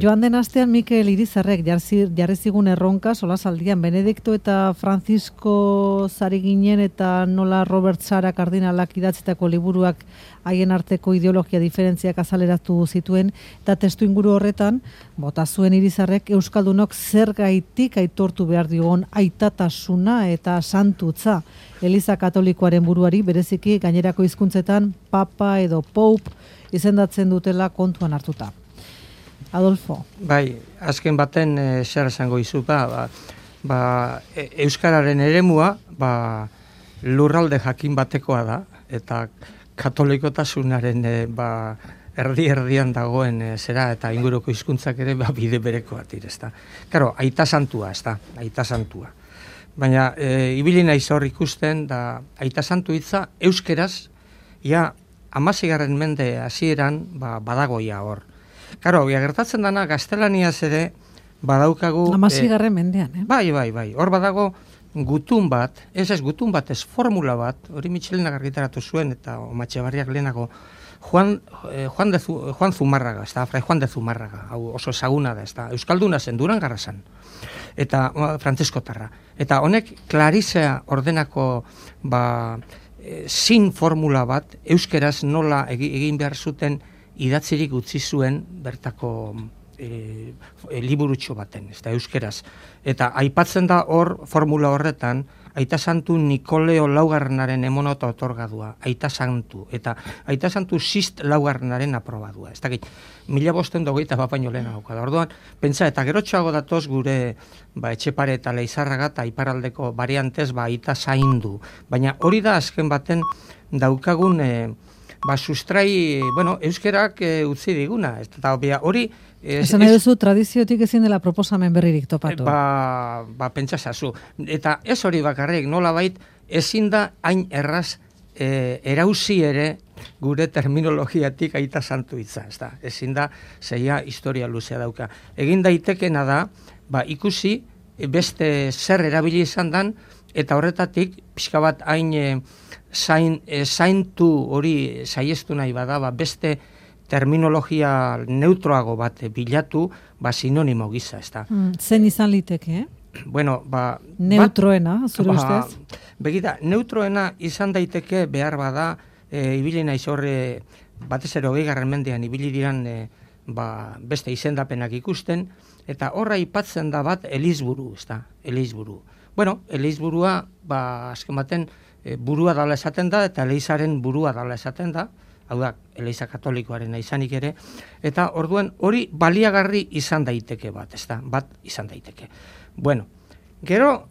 Joan den astean Mikel Irizarrek jarri zigun erronka solasaldian Benedikto eta Francisco zari ginen eta nola Robert Sara kardinalak idatzitako liburuak haien arteko ideologia diferentziak azaleratu zituen eta testu inguru horretan bota zuen Irizarrek euskaldunok zergaitik aitortu behar diogun aitatasuna eta santutza Eliza Katolikoaren buruari bereziki gainerako hizkuntzetan papa edo pope izendatzen dutela kontuan hartuta. Adolfo. Bai, azken baten zer esango izu, euskararen eremua, lurralde jakin batekoa da, eta katolikotasunaren erdi-erdian dagoen zera, eta inguruko hizkuntzak ere bide berekoa direzta. Karo, aita santua, aita santua. Baina, ibili naiz hor ikusten, da aita santu hitza, euskeraz, ja, 16. mende hasieran badagoia hor. Karo, gertatzen dana, gaztelaniaz ere badaukagu... 16. mendean, Bai. Hor badago gutun bat, gutun bat, ez formula bat, hori Michelenak argitaratu zuen, eta Omatxebarriak lehenago, Juan Zumarraga, Fray Juan de Zumarraga, hau oso ezaguna da, euskalduna zen, Durangarra zen, eta frantziskotarra. Eta honek Klarisea ordenako sin formula bat, euskeraz nola egin behar zuten idatzirik utzi zuen bertako liburutxo baten, euskeraz. Eta aipatzen da hor formula horretan, aita santu Nikoleo laugarrenaren emonota otorgadua, aita santu, eta aita santu sist laugarrenaren aprobadua. Ez dakit, 1520 baino lehenago da. Orduan, pentsa, eta gerotxoago datoz gure Etxepare eta Leizarraga eta iparaldeko variantez aita zaindu. Baina hori da azken baten daukagun sustrai, euskerak utzi diguna. Eta hori... Esan nahi duzu, tradiziotik ezin dela proposamen berririk topatu. Pentsasazu. Eta ez hori bakarrik, nolabait, ezin da hain erraz erauzi ere gure terminologiatik aita santu hitza. Ezin da, zeia historia luzea dauka. Egin daitekena da, ikusi beste zer erabili izan dan, eta horretatik, pixka bat hain zaintu hori saiestu nahi bada, beste terminologia neutroago bat bilatu, sinonimo gisa, Zen izan liteke, neutroena, zure ustez? Begita, neutroena izan daiteke behar bada, ibili naiz horre, batez ere 20. mendean ibili diran beste izendapenak ikusten, eta horra aipatzen da bat Elizburu, Elizburu. Elizburua, azken baten, burua dala esaten da, eta Elizaren burua dala esaten da, hau da, Eliza Katolikoaren izanik ere, eta orduan hori baliagarri izan daiteke bat izan daiteke. Gero,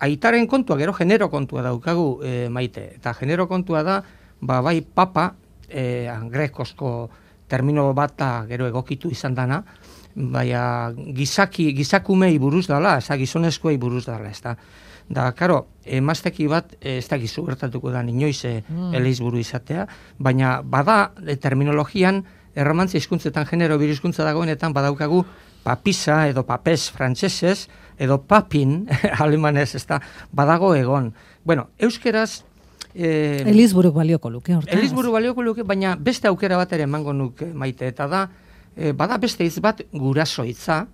aitaren kontua, gero genero kontua daukagu Maite, eta genero kontua da, bai papa, grekozko termino bat gero egokitu izan dana, baina gizakumei buruz dala, gizonezkoei buruz dala, Da, emazteki bat, ez da gizu gertatuko da inoiz Elizburu izatea, baina bada terminologian, erromantzia hizkuntzetan genero birhizkuntza dagoenetan badaukagu papisa edo papes frantsesez, edo papin alemanez, badago egon. Euskeraz... Elizburu balioko luke, hortaz. Elizburu balioko luke, baina beste aukera bat ere emango nuke Maite, eta da, bada beste hitz bat guraso hitza,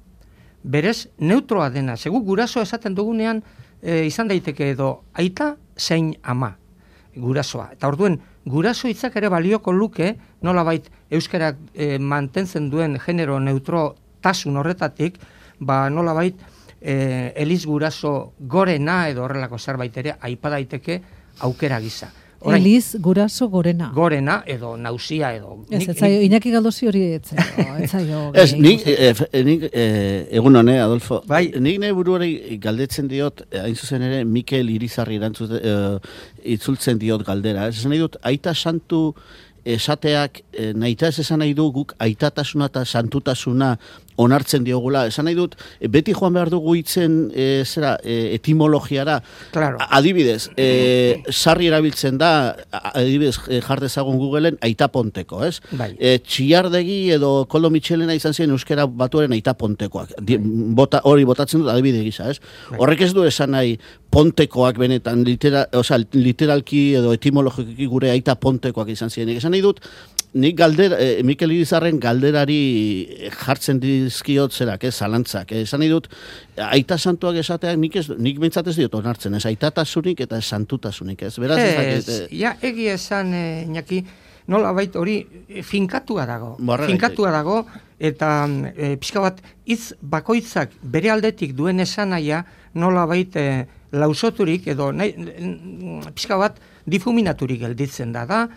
berez neutroa dena, segu guraso esaten dugunean, izan daiteke edo aita zein ama gurasoa. Eta orduen, guraso hitzak ere balioko luke, nolabait euskarak mantentzen duen genero neutrotasun horretatik, nolabait Eliz guraso gorena edo horrelako zerbait ere aipa daiteke aukera gisa. Eliz guraso gorena. Gorena edo nausia edo... Iñaki Galdosi hori etzaio. Nik egun hone, Adolfo. Nik nahi buruari galdetzen diot, hain zuzen ere, Mikel Irizarri itzultzen diot galdera. Ez nahi dut, aita santu esateak, nahita ez esan nahi du guk aitatasuna eta santutasuna onartzen diogula. Esan nahi dut, beti joan behar dugu hitzen etimologiara. Claro. Adibidez, sarri erabiltzen da, adibidez, jardezagun Googleen aitaponteko, ez? Bai. Txillardegi edo Koldo Mitxelena izan ziren euskera batuaren aitapontekoak. Hori botatzen dut adibide gisa, ez? Bai. Horrek ez du esan nahi pontekoak benetan, literalki edo etimologiki gure aitapontekoak izan ziren. Esan nahi dut, nik Mikel Irizarren galderari jartzen dizkiot zerak, zalantzak. Esan nahi dut, aita santuak esateak nik bintzat ez diot onartzen, ez aitatasunik eta santutasunik, ez? Beraz, egia esan, Iñaki, nola bait hori finkatua dago, eta pixka bat hitz bakoitzak bere aldetik duen esanaia nola bait lausoturik edo pixka bat difuminaturik gelditzen da,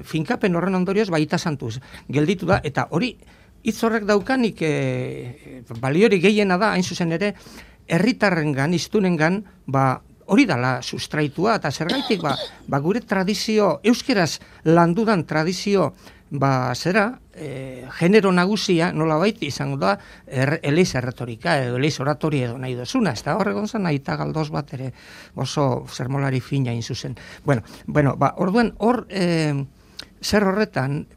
finkapen horren ondorioz baita santuz gelditu da, eta hori hitz horrek daukanik baliori gehiena da, hain zuzen ere, herritarrengan, iztunengan, hori dala sustraitua, eta zergaitik gure tradizio, euskeraz landudan tradizio, genero nagusia, nolabait izango da, eleiz erretorika, eleiz oratoria edo nahi dozuna, ez da horregon zen, aita galdoz bat ere oso zermolari fina inzuzen. Bueno, orduan, hor, zer horretan,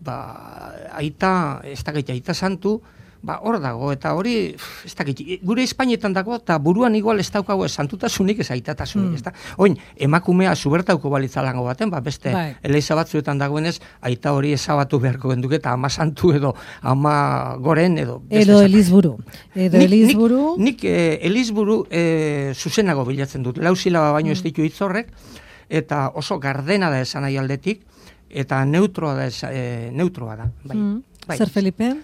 aita, ez da aita santu, hor dago, eta hori, ez dakit, gure Espainetan dago, eta buruan igual ez daukago santutasunik, ez aitatasunik, ez da. Oin, emakumea zubertauko balitzalango baten, beste eleiza batzuetan dagoenez, aita hori ezabatu beharko genduk, eta ama santu edo, ama goren edo... Edo elizburu. Nik elizburu zuzenago bilatzen dut, lausilaba baino ez ditu hitzorrek, eta oso gardena da esan nahi aldetik, eta neutroa da. Zer, Felipe?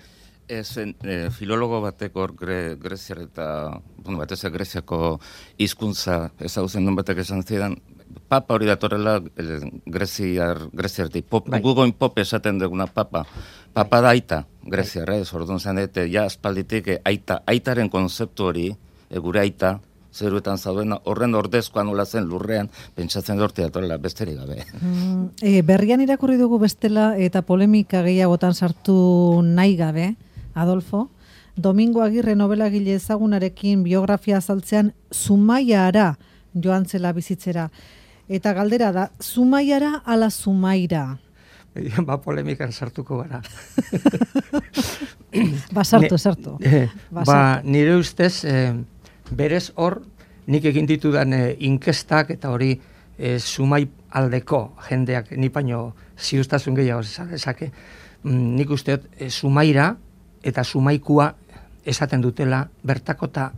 Filologo batek hor Greziar eta, batez Greziako hizkuntza ezagutzen duen batek esan zidan, papa hori datorrela Greziartik. Gugoin pop esaten duguna papa da aita, Greziar, orduan zen, ja aspalditik aitaren konzeptu hori, gure aita, zeruetan zaudena, horren ordezkoa nola zen lurrean, pentsatzen dorti datorrela besterik gabe. Berrian irakurri dugu bestela eta polemika gehiagotan sartu nahi gabe, Adolfo, Domingo Agirre novelagile ezagunarekin biografia azaltzean Zumaiara joan zela bizitzera. Eta galdera da, Zumaiara ala Zumaira? Polemikan sartuko gara. Sartu. Nire ustez, berez hor, nik egin ditudan inkestak eta hori Zumai aldeko jendeak nipaino ziustasun gehiago esake. Nik usteot, Zumaira eta Zumaikua esaten dutela bertako eta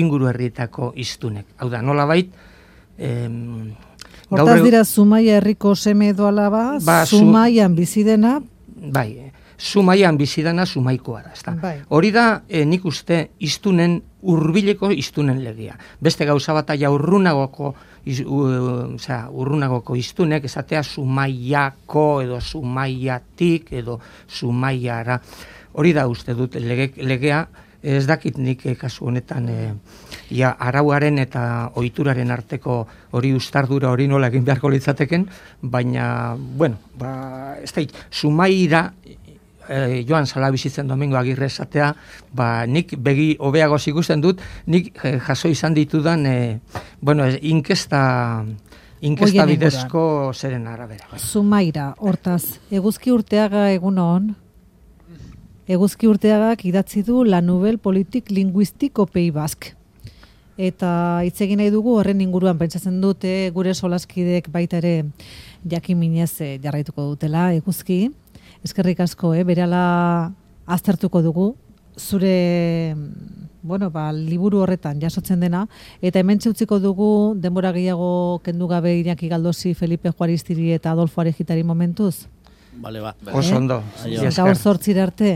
inguru herrietako iztunek. Hau da, nola bait... Hortaz dira Zumaia herriko seme edo alaba, Zumaian bizidena... Zumaian bizidana Zumaikua da. Hori da, nik uste iztunen hurbileko iztunen legea. Beste gauza bat aia urrunagoko iztunek, esatea Zumaiako edo Zumaiatik edo Zumaiara. Hori da uste dut legea, ez dakit nik kasu honetan arauaren eta ohituraren arteko hori ustardura hori nola egin beharko litzateken, baina, ez da, Zumaira joan zala bizitzen Domingo Agirre esatea, nik begi hobeagoz ikusten dut, nik jaso izan ditudan, inkesta bidezko zeren arabera. Zumaira, hortaz, Eguzki Urteaga egunon? Eguzki Urteagak idatzi du La Nouvelle Politique Linguistique au Pays Basque. Eta hitz egin nahi dugu horren inguruan pentsatzen dute gure solaskidek baita ere jakin minez jarraituko dutela Eguzki. Eskerrik asko, berehala aztertuko dugu zure liburu horretan jasotzen dena, eta hementxe utziko dugu denbora gehiago kendu gabe Iñaki Galdosi, Felipe Juaristiri eta Adolfo Arejitari momentuz. Bale, Oso ondo. Gaur 8 arte.